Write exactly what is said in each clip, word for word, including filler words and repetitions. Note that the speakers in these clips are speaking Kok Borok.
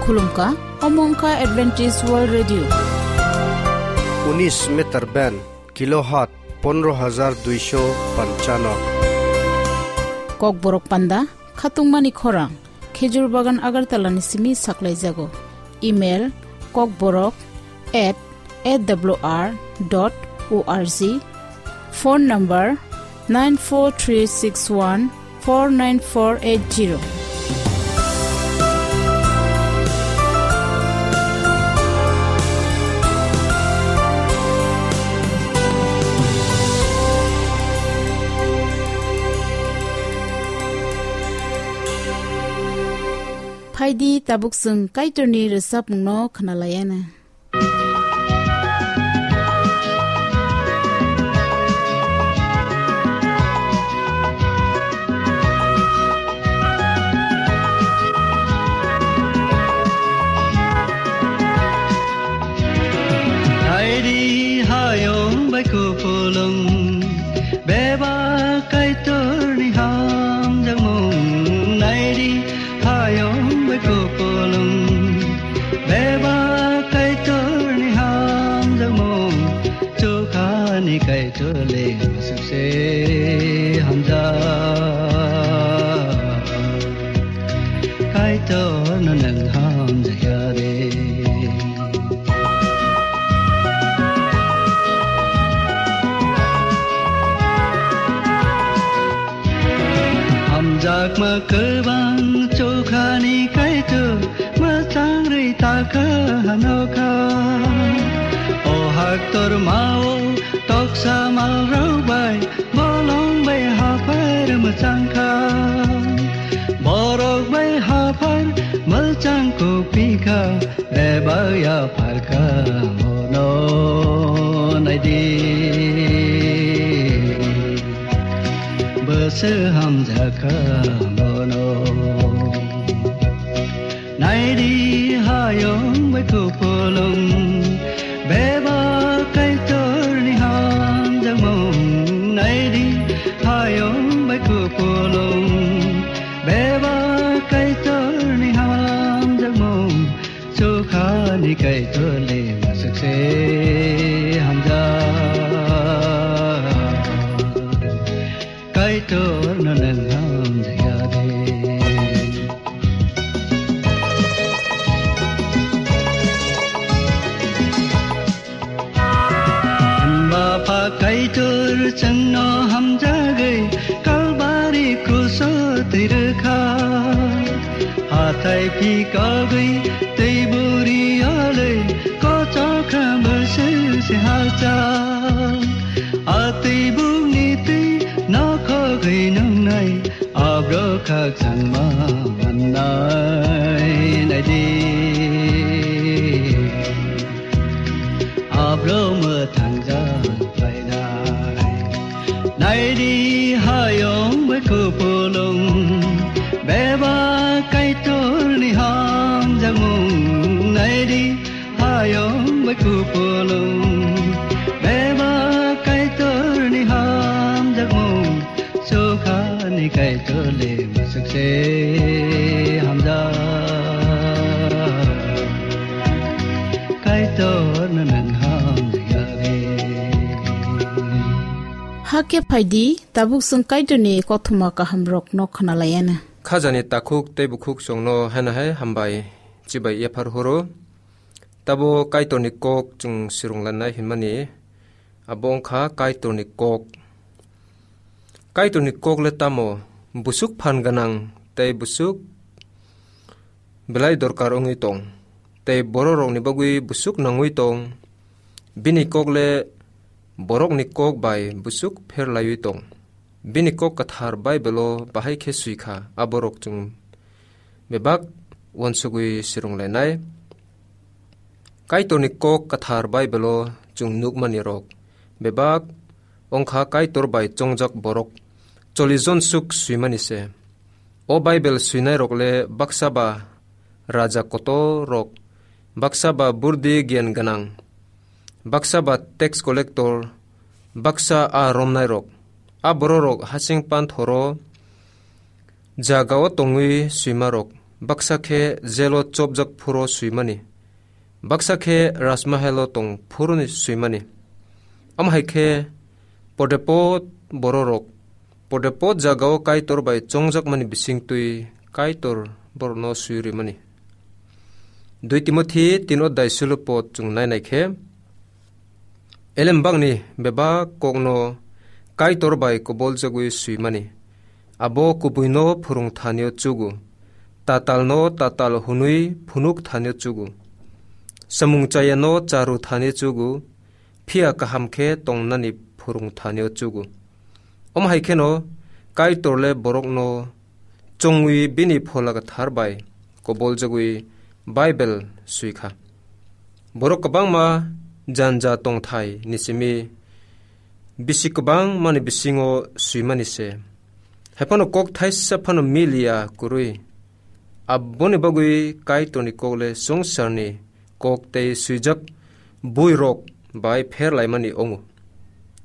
Khulumkha, omo wngkha Adventist World Radio. Unis meter band, kilohertz pondro hajar duisho panchano. Kokborok panda, khatungmani khorang, Khejur Bagan Agartala ni simi saklaijago. Email, kokborok at A W R dot O R G. Phone number nine four three six one four nine four eight zero. Phaidi tabuk chwng Kaitorni rwchapmungno khwnalaiana. Naidi hayung bai kupulung, bebak Kaitorni hamjakmung. Naidi hayung bai kupulung, bebak Kaitorni hamjakmung, chukhani Kaitor le masukse hamjak. Kaitorno nwng hamjakya de. Hamjakma kwbang chukhani Kaitor, mwchang rwi takha hanokha. O haktor mao toksa malrok bai, bolong bai haphar mwchangkha. Borok bai haphar mwchang kupikha, bebak yapharkha mono naidi. Bwswk hamjakha mono. Naidi hayung bai kupulung, bebak Kaitorni hamjakmung. Naidi hayung bai kupulung, bebak Kaitorni hamjakmung. Chukhani Kaitor le masukse hamjak. Kaitorno nwng hamjakya de. Bapha Kaitor chwngno hamjagwi Kalbari kruso twi rwkha. Hathai phikogwi twi buri alwi kochokha bwswk se halchak. A twi bukni twi nokhogwi nungnai, abro khakchangma mannai naidi. Abro mwthangjak phainai. Naidi hayung bai kupulung, bebak Kaitorni hamjakmung. Naidi hayung bai kupulung, bebak Kaitorni hamjakmung. Chukhani Kaitor le masukse hamjak. Kaitorno nwng hamjakya de. Hakhe phaidi, tabuk chwng Kaitorni kothoma kahamrokno khwnalaiana. Khajani takhuk tei bukhuk chwngno haino hai hambai chibai yaphar horo. Tabo Kaitorni kok chwng swrwnglanai hinmani, abo wngkha Kaitorni kok. Kaitorni kok le tamo? Busuk phan gwnang tei busuk belai dorkar wngwi tong, tei bororokni bagwi busuk nangwi tong. Bini kok le borokni kok bai busuk pher laiwi tong. Bini kok kwthar Baibelo bahai khe swi kha, aborok chwng bebak uansugwi swrwnglainai. Kaitorni kok kwthar Baibelo chwng nukmani rok bebak wngkha Kaitor bai chongjak borok chollish jon swk swimani se. O Baibel swinai rok le baksa ba raja kotor rok, baksa ba burdi giyan gwnang, baksa ba tax collector, baksa a romnai rok. A bororok hasing panthoro jagao tongwi swima rok, baksa khe jelo chopjak phuru swimani, baksa khe rajmahalo tong phuruni swimani. Omo hai khe podepod bororok podepod jagao Kaitor bai chongjakmani bisingtwi Kaitor borokno swi rimani. Dui Timothi tin odai sulo pod chwng nainai khe, elembakni bebak kokno Kaitor bai koboljagwi swimani. Abo kubuino phwrwng thanio chugo, tatalno tatal hwnwi phunuk thanio chugo, samung chayano charu thanio chugo, phiya kaham khe tongnani phwrwng thanio chugo. Omo hai kheno Kaitorle borokno chongwi bini Phola Kwthar bai koboljagwi Bible swi kha. Borok kwbangma janja tongthai ni simi bisi kwbangmani bisingo swimani se. Haiphano kok thaisa phano miliya kwrwi. Aboni bagwi Kaitorni kokle swngcharni kok tei swijak buirok bai pher laimani ongo.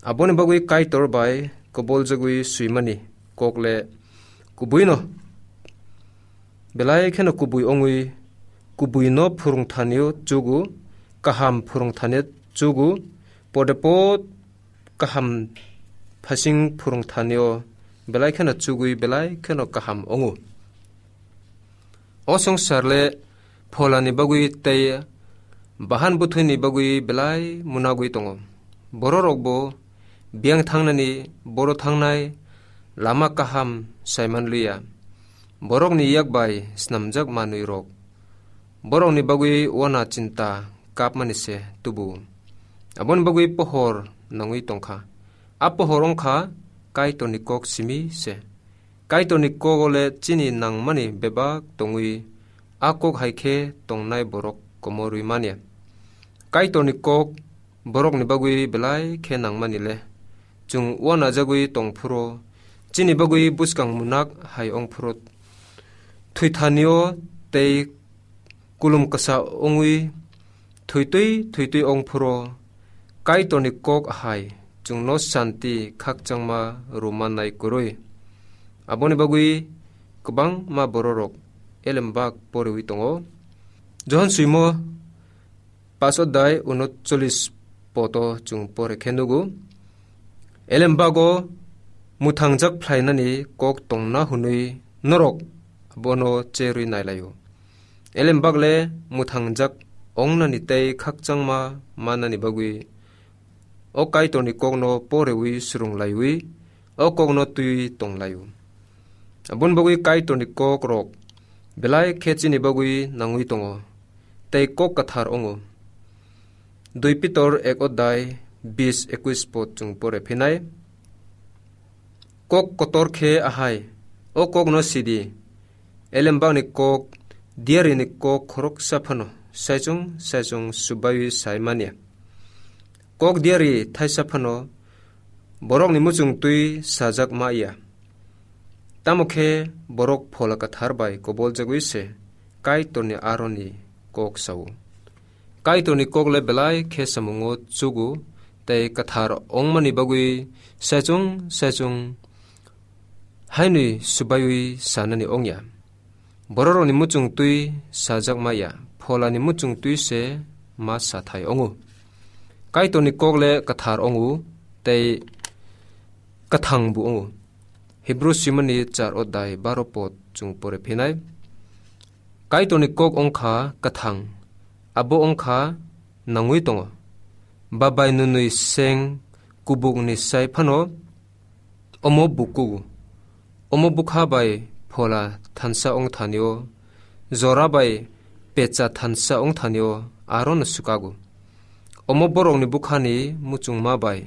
Aboni bagwi Kaitor bai koboljagwi swimani kokle kubuino belai kheno kubui ongwi, kubuino phwrwng thanio chugo, kaham phwrwng thanio chugo, podepod kaham phasing phwrwng thanio belai kheno chugwi belai kheno kaham ongo. O swngcharle pholani bagwi tei bahan bwthwini bagwi belai munagwi tongo. Bororokbo biyang thangnani, boro thangnai lama kaham saiman liya. Borokni yak bai snamjak manwirok borokni bagwi wana chinta kapmani se tubu. Aboni bagwi pohor nangwi tongkha. A pohor wngkha Kaitorni kok simi se. Kaitorni kok ole chini nangmani bebak tongwi, a kok hai khe tongnai borok komorwi manya. Kaitorni kok borokni bagwi belai khe nangmani le. Chwng uanajagwi tong phuru, chini bagwi bwskang munak hai ong phuru, thwithanio tei kulum kwsa wngwi thwitwi thwitwi ong phuru, Kaitorni kok hai chwngno santi khakchangma rwmannai kwrwi. Aboni bagwi kwbangma bororok elembak porewi tongo. Johon swimo paso dai uno cholis poto chwng pore khe nugo. Elembago mwthangjak phlainani kok tongna hwnwi norok bono cherwi nailaio. Elembakle mwthangjak ongnani tei khakchangma mannani bagwi o Kaitorni kokno porewi swrwng laiwi o kokno twiwi tong laio. Aboni bagwi Kaitorni kokrok belai khe chini bagwi nangwi tongo tei kok kwthar ongo. Dui Pitor ek odai bis ekwis pod chwng pore phinai. Kok kotor khe ahai, o kokno sidi, elembakni kok, diarini kok khoroksa phano saichung saichung subaiwi sai manya. Kok diari thaisa phano borokni muchung twi sajak ma ya. Tamo khe borok Phola Kwthar bai koboljagwi se Kaitorni aroni kok sao. Kaitorni kokle belai khe samungo chugo tei kwthar ongmani bagwi saichung saichung hainwi subaiwi sanani ongya. Bororokni muchung twi sajak ma ya, Pholani muchung twi se ma sathai ongo. Kaitorni kokle kwthar ongo tei kwthang bo ongo. Hebru simani char odai baro pod chwng pore phinai. Kaitorni kok ongkha kwthang, abo ongkha nangwi tongo. Babai nwnwi seng kubukni sai phano omo bukugo. Omo bwkha bai Phola thansa ongthanio, jora bai pecha thansa ongthanio arono swkago. Omo borokni bwkhani muchungma bai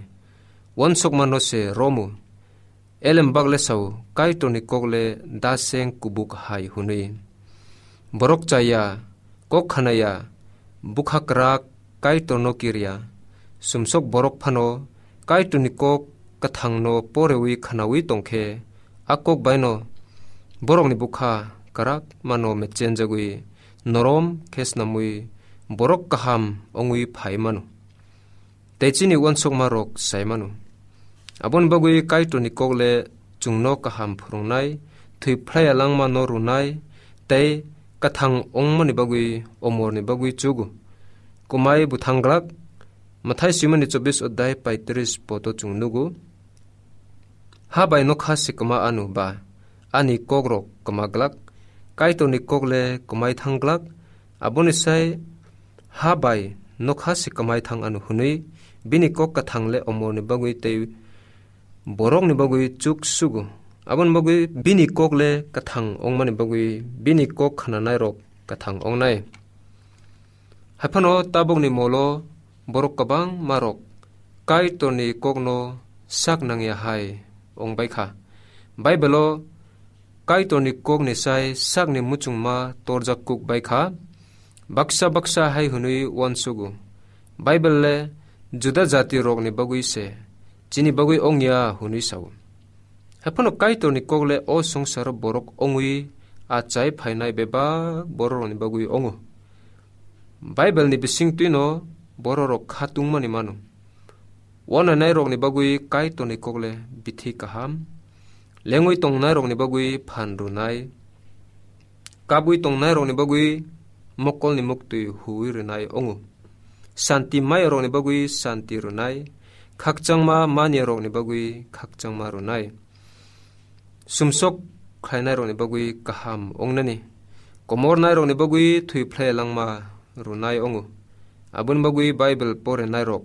uansukmano se romu. Elembakle sao, Kaitorni kokle daseng kubuk hai hwnwi. Borok chaya, kok khanaya, bwkha kwrak Kaitorno kirya. Sumsok borok phano Kaitorni kok kwthangno porewi khnawi tongkhe, a kok baino borokni bwkha kwrak mano mechenjagwi norom khe snamwi borok kaham wngwi phai mano. Tei chini uansukmarok sai mano. Aboni bagwi Kaitorni kokle chwngno kaham phwrwngnai, thwi phlaiya langmano rwnai, tei kathang wngmani bagwi omorni bagwi chugo. Kumai bwthang glak, Mathai swimani chobbish odhyay paitris poto chwng nugo. Ha bai nokha se kwma ano ba, ani kokrok kwma glak, Kaitorni kok le kwmai thang glak, aboni sai ha bai nokha se kwmai thang ano hwnwi bini kok kathang le omorni bagwi tei borokni bagwi chuk sugo. Aboni bagwi bini kok le kathang wngmani bagwi bini kok khnanairok kathang wngnai. Haiphano tabukni molo borok kwbangmarok Kaitorni kokno sak nangya hai wng bai kha. Baibelo Kaitorni kokni sai sakni muchungma torjak kuk bai kha. Baksa baksa hai hwnwi uansugo, Baibel le Juda jatirokni bagwi se, chini bagwi wngya hwnwi sao. Haiphano Kaitorni kok le o songsaro borok wngwi achai phainai bebak bororokni bagwi wngo. Baibelni bisingtwino bororok khatungmani mano. Uanainairokni bagwi Kaitorni kok le bithi kaham, lengwi tongnairokni bagwi phan rwnai, kabwi tongnairokni bagwi mokolni muktwi huwi rwnai wngo. Santi mayarokni bagwi santi rwnai, khakchangma maniyarokni bagwi khakchangma rwnai. Sumsok khlainairokni bagwi kaham wngnani, komornairokni bagwi thwi phlai langma rwnai wngo. Aboni bagwi Baibel porenairok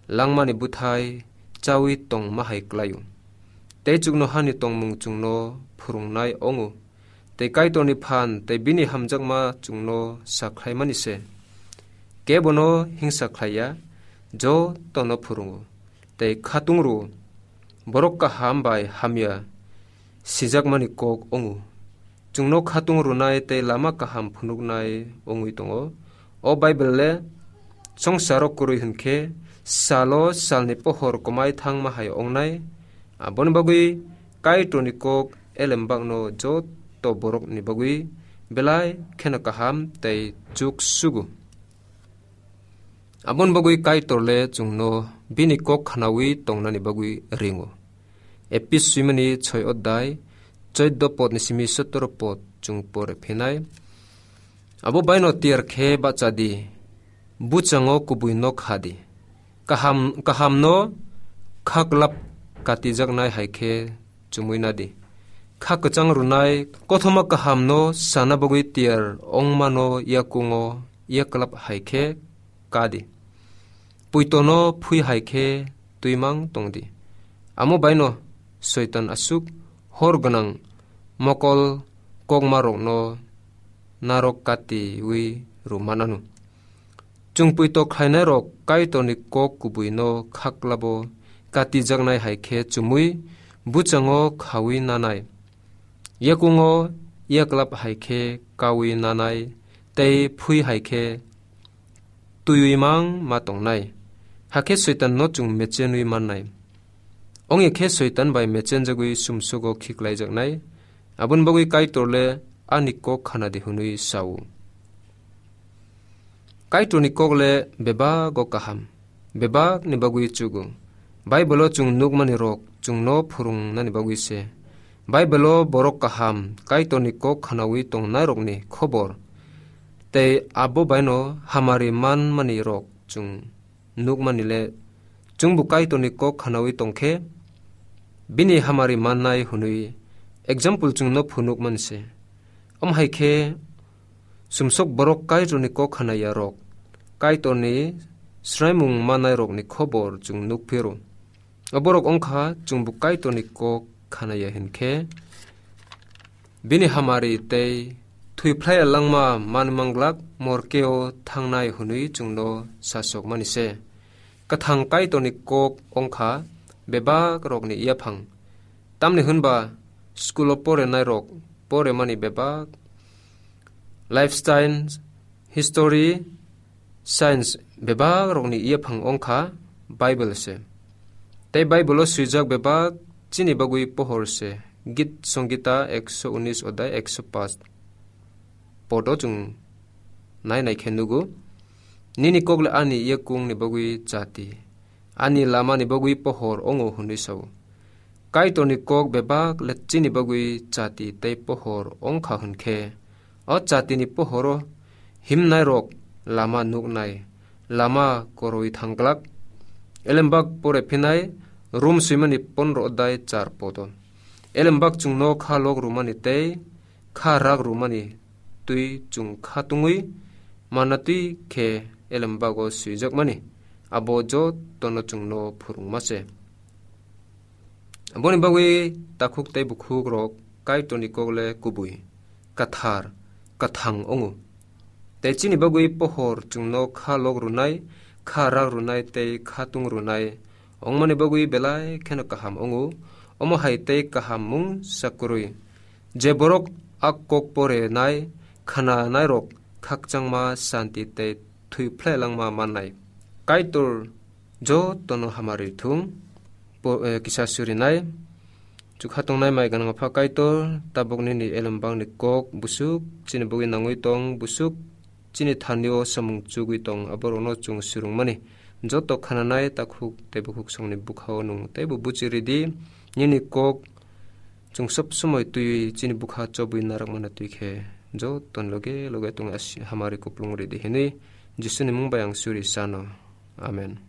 langmani bwthai chawi tongma hai klaio. Tei chuknohani tongmung chwngno phwrwngnai wngo. Tei Kaitorni phan tei bini hamjakma chwngno sakhlaimani se. Kebono hingsa khlaiya, jotono phwrwngo. Tei khatung rwo. Borok kaham bai hamya sijakmani kok wngo. Chwngno khatung rwnai tei lama kaham phunuknai wngwi tongo. O Baibel le songsaro kwrwi hwn khe salo salni pohor kwmai thangma hai wngnai. Aboni bagwi Kaitorni kok elembakno joto borokni bagwi belai kheno kaham tei chuk sugo. Aboni bagwi Kaitor le chwngno bini kok khnawi tongnani bagwi ringo. Epis swimani soi odhyay, choido podni simi sotoro pod chwng pore phinai. Abo baino tiyar khe bacha di, buchango kubui nok ha di. Kaham, kahamno khaklap katijaknai hai khe chumui na di. Kha kwchang rwnai kothoma kahamno sana bagwi tiyar ongmano yakungo yaklap hai khe ka di. Puitono phui hai khe twimang tong di. Amo baino Soitan aswk hor gwnang mokol kokmarokno narok katiwi rw manano. Chwng puito khlainairok Kaitorni kok kubuino khaklabo katijaknai hai khe chumui buchango khaui nanai. Yakungo yaklap hai khe kaui nanai tei phui hai khe twiwi mang ma tongnai. Hakhe Soitanno chwng mechenwi mannai. Ongya khe Soitan bai mechenjagwi sumsugo khiklaijaknai. Aboni bagwi Kaitor le ani kok khana di hwnwi sao. Kaitorni kok le bebago kaham, bebakni bagwi chugo. Baibelo chwng nukmani rok chwngno phwrwngnani bagwi se. Baibelo borok kaham Kaitorni kok khanaui tongnairokni khobor tei abo baino hamari manmani rok chwng nukmani le chwngbo Kaitorni kok khanaui tongkhe bini hamari mannai hwnwi example chwngno phunukmani se. Om hai khe sumsok borok Kaitorni kok khanaya rok, Kaitorni sraimung manai rokni khobor chwng nuk phiro. Oborok wngkha chwngbo Kaitorni kok khanaya hinkhe bini hamari tei thwiphlai langma manwi manglak morkeo thangnai hwnwi chwngno sasokmani se. Kwthang Kaitorni kok wngkha bebak rokni yaphang. Tamni hwnba school o porenai rok poremani bebak lifestyle, history, science bebak rokni yaphang wngkha Bible se. Tei Bible o swijak bebak chini bagwi pohor se. Git Songita ekso unis odai ekso pas podo chwng nai nai khe nugo. Nini kok le ani yakung ni bagwi chati, ani lama ni bagwi pohor ongo hwnwi sao. Kaitorni kok bebak le chini bagwi chati tei pohor wngkha hwn khe, O chatini pohoro himnairok lama nuknai, lama koroi thangglak. Elembak pore phinai, Rum swimani pondro adai char podo. Elembak chwngno kha lok rwmani tei kha rak rwmani twi chwng kha tungwi manna twi khe elembago swijakmani, abo jotono chwngno phwrwngma se. Aboni bagwi takhuk tei bukhukrok Kaitorni kok le kubui, kathar, kathang wngo. Tei chini bagwi pohor chwngno kha lok rwnai, kha rak rwnai tei kha tung rwnai wngmani bagwi belai kheno kaham wngo. Omo hai tei kaham mung sa kwrwi. Je borok a kok porenai, khnanairok khakchangma santi tei thwi phlai langma mannai. Kaitor jotono hamari thung. Po-, eh, kisa surinai. Chukha tongnai mai ganang pha Kaitor, tabuk nini elembakni kok busuk chini bugwi nangwi tong, busuk chini thanio samung chugwi tong, aborokno chwng surungmani. Joto khananai takhuk tei bukhuk songni bukhao nwng teibo buchi ridi, nini kok chwng sob somoi twiwi chini bukha chobwi narakmana twi khe joto loge loge tongwi asi-, hamari kuplung ridi hinwi Jisuni mung bai ang suri sano. Amen.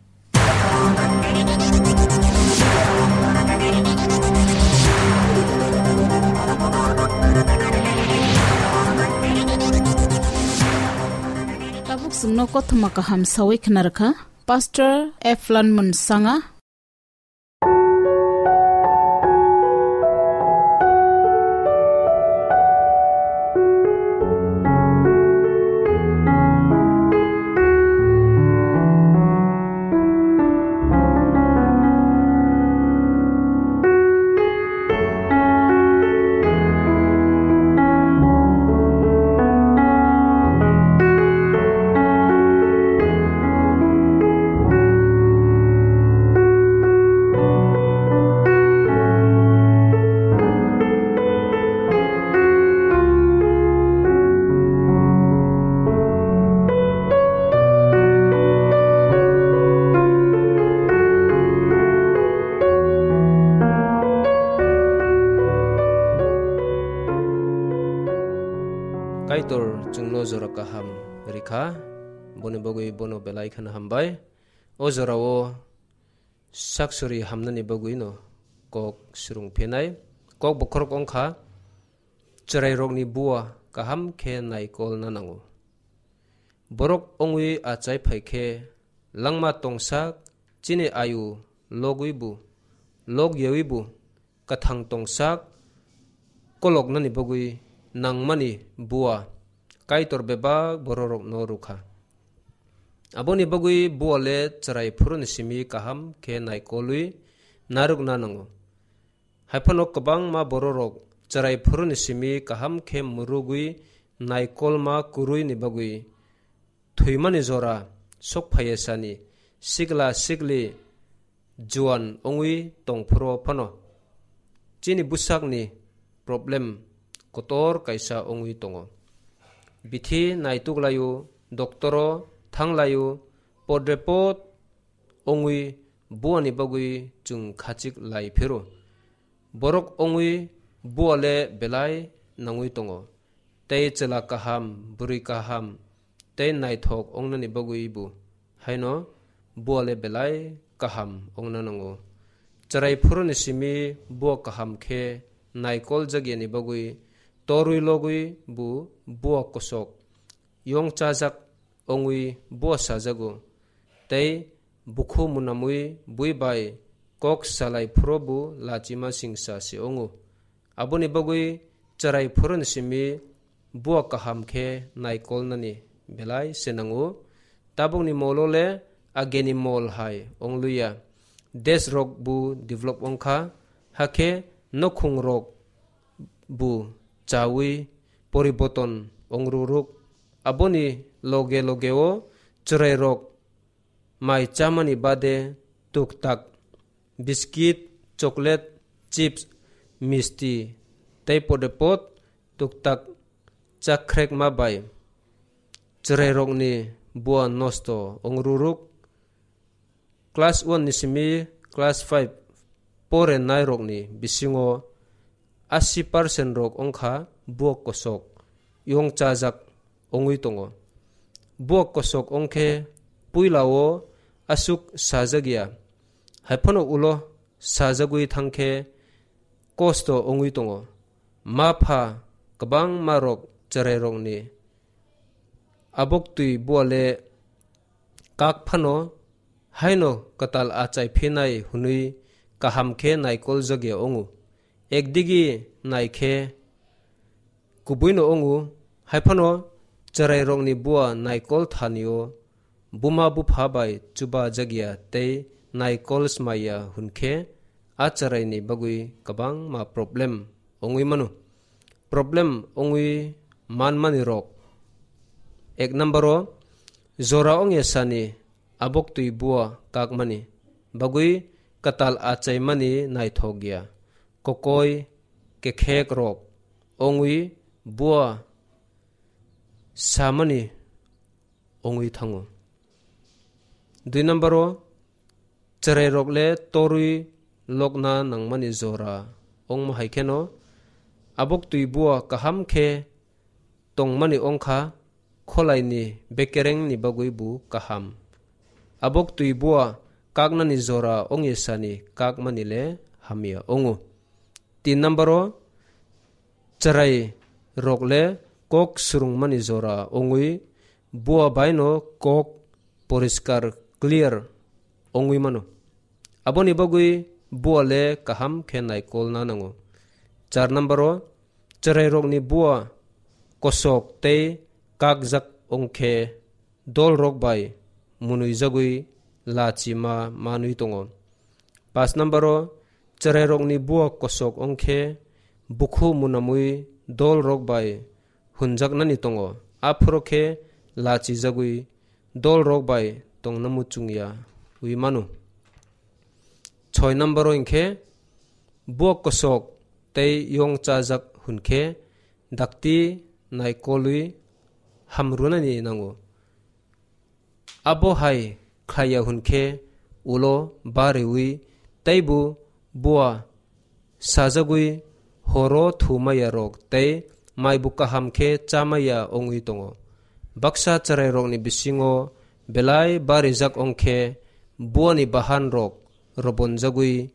Tabuk chwngno kothoma kaham sawi khna rwkha Pastor Eflan Munsanga. Kaitor chwngno jora kaham rikha, boni bagwi bono belai kheno hambai. O jorao saksuri hamnani bagwino kok swrwng phinai. Kok bokhorok wngkha, chwrairokni bua kaham khe naikolna nango. Borok wngwi achai phai khe langma tongsak chini ayu logwibo, logyawibo, kathang tongsak koloknani bagwi nangmani bua Kaitor bebak bororokno rwkha. Aboni bagwi bua le chwrai phuruni simi kaham khe naikolwi narwkna nango. Haiphano kwbangma bororok chwrai phuruni simi kaham khe mwrwgwi naikolma kwrwini bagwi thwimani jora sok phaiya sani sikla sikli juan wngwi tong phuru phano chini bwsakni problem kotor kaisa wngwi tongo. Bithi naituk laio, doktoro thang laio, podrepot wngwi buani bagwi chwng khachik lai phiro. Borok wngwi bua le belai nangwi tongo. Tei chwla kaham, bwrwi kaham, tei naithok wngnani bagwi bo haino bua le belai kaham wngna nango. Chwrai phuruni simi bua kaham khe naikol jagyani bagwi torwi logwi bo bua kosok yong chajak wngwi bua sajago, tei bukhu munamwi bui bai kok salai phuru bo lachima singsa se wngo. Aboni bagwi chwrai phuruni simi bua kaham khe naikolnani belai se nango. Tabukni molo le ageni mol hai wngluya. Desh rok bo develop wngkha, hakhe nokhung rok bo chawi poriboton wngruruk. Aboni loge logeo chwrairok mai chamani bade tuktak biskit, chocolate, chips, misti tei podepot tuktak chakhrek ma bai chwrairokni bua nosto wngruruk. Class one ni simi class five porenairokni bisingo asi percent rok wngkha buak kosok. yongchajak wngwi tongo. Buak kosok wngkhe puilao aswk sajak ya, haiphano ulo sajagwi thangkhe kosto wngwi tongo. Ma pha kwbangma rok chwrairokni aboktwi buale kak phano haino kwtal achai phinai hwnwi kaham khe naikol jagya wngo. Ekdigi naikhe kubuino wngo, haiphano chwrairokni bua naikol thanio buma bupha bai chuba jagya tei naikol smaiya hwnkhe a chwraini bagwi kwbangma problem wngwi mano. Problem wngwi manmani rok. Ek number o, jora wngya sani aboktwi bua kakmani bagwi kwtal achaimani naithok ya. Kokoi kekhek rok wngwi bua samani wngwi thango. Dui number o, chwrairok le torwi lokna nangmani jora wngma hai kheno aboktwi bua kaham khe tongmani wngkha, kholaini bekerengni bagwi bo kaham. Aboktwi bua kaknani jora wngya sani kakmani le hamya wngo. Tin number o, chwrai rok le kok swrwngmani jora wngwi bua baino kok poriskar, clear, wngwi mano. Aboni bagwi bua le kaham khe naikolna nango. Char number o, chwrairokni bua kosok tei kakjak wngkhe dolrok bai munwijagwi lachima manwi tongo. Pas number o, chwrairokni bua kosok wngkhe bukhu munamwi dolrok bai hunjaknani tongo, aphuru khe lachijagwi dolrok bai tongna muchungya wi mano. Soi number o hwnkhe bua kosok tei yongchajak hwnkhe dakti naikolwi hamrwnani nango. Abo hai khlaiya hwnkhe ulo bariwi teibo bua sajagwi horo thumaya rok tei maibu kaham khe chamaya wngwi tongo. Baksa chwrairokni bisingo belai barijak wngkhe buani bahan rok robonjagwi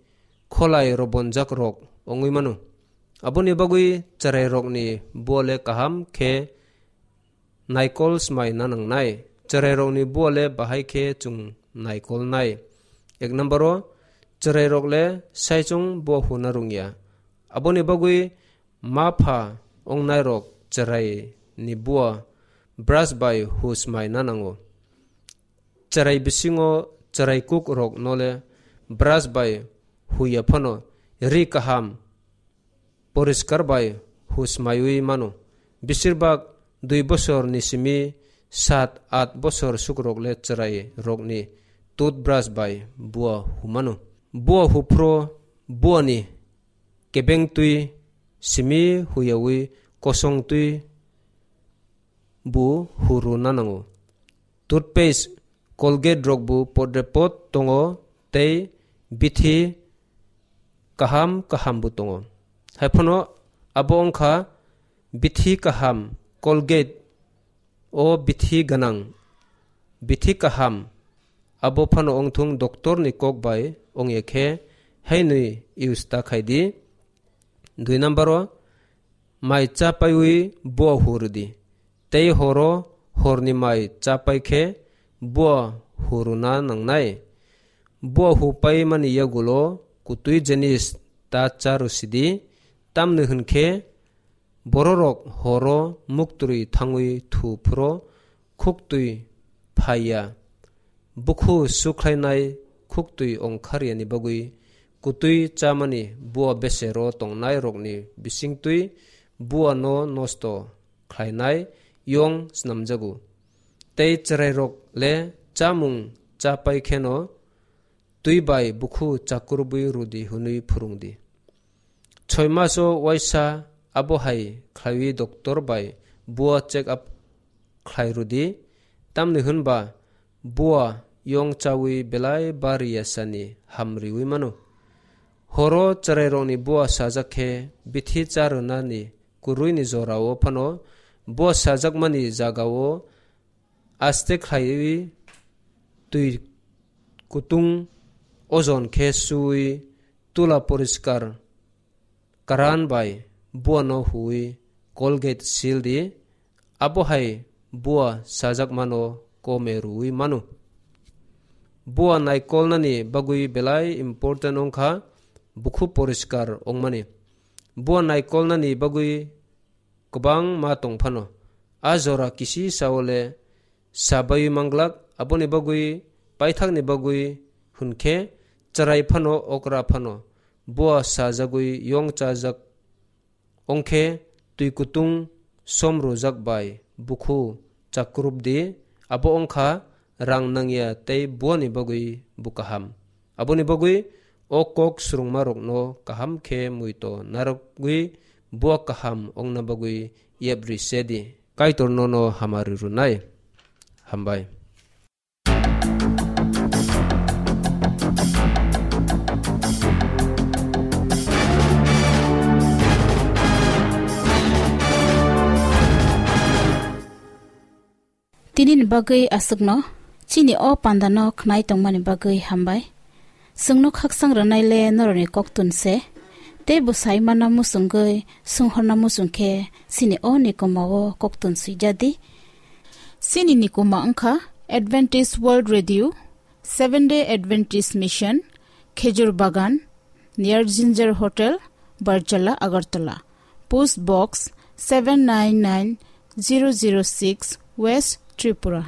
kholai robonjak rok wngwi mano. Aboni bagwi chwrairokni bua le kaham khe naikol smaina nangnai. Chwrairokni bua le bahai khe chwng naikolnai. Ek number o, chwrairok le saichung bua huna rwngya. Aboni bagwi ma pha wngnairok chwraini bua brush bai hu smaina nango. Chwrai bisingo chwrai kuk rokno le brush bai huya phano ri kaham poriskar bai husmaiwi mano. Besirbak dui bosor ni simi sat at bosor sukrok le chwrai rokni toothbrush bai bua humano. Bua huphro buani kebeng twi simi huyawi kosong twi bu huru nanango. Toothpaste, Colgate rok bu podre pod tongo tei bithi kaham kaham bu tongo. Haiphano abo wngkha bithi kaham Colgate o bithi gwnang, bithi kaham abo phano wngthung doctor ni kok bai wngya khe hainwi use ta khai di. Dui number o mai cha paiwi bua huru di. Tei horo horni mai cha pai khe bua huruna nangnai. Bua hu pai mani yagulo kutui jenis ta cha rwsidi, tamni hwnkhe bororok horo muktwi thangwi thu phuro khuktwi phaiya. Bukhu sukhlainai khuktwi ongkharyani bagwi kutwi chamani bua besero tongnairokni bisingtwi buano nosto khlainai yong snamjago. Tei chwrairok le chamung cha pai kheno twi bai bukhu chakrubwi rwdi hwnwi phwrwngdi. Soi maso waisa abo hai khlaiwi doctor bai bua check up khlai rwdi, tamni hwnba bua yong chawi belai bari yasani hamriwi mano. Horo chwrairokni bua sajak khe bithi cha rwnani kwrwini jorao phano Bo sajakmani jagao aste khlaiwi twi kutung ojon khe suwi tula poriskar karan bai buano huwi Colgate sil di, abo hai bua sajakmano kome rwwi mano. Bua naikolnani bagwi belai important wngkha bukhu poriskar wngmani. Bua naikolnani bagwi kwbangma tong phano. A jora kisi saole sa baiwi manglak, aboni bagwi paithakni bagwi hwn khe chwrai phano okra phano bua sajagwi yong chajak wngkhe twi kutung som rwjak bai bukhu chakrupdi, abo wngkha rang nangya tei buani bagwi bo kaham. Aboni bagwi o kok swrwngmarokno kaham khe muito narwgwi bua kaham wngna bagwi yapri se di. Kaitor nono hamari rwnai. Hambai. Tini ni bagwi aswkno, chini o pandano khnai tongmani bagwi hambai. Chwngno khakchang rwnai le norokni koktun se, tei bwsai mana muchungwi swnghorna muchung khe chini o nikoma o koktun swijadi. Chini nikoma wngkha Adventist World Radio, Seventh Day Adventist Mission, Khejur Bagan, near Ginger Hotel, Barjala, Agartala. Post Box seven nine nine zero zero six, West Tripura.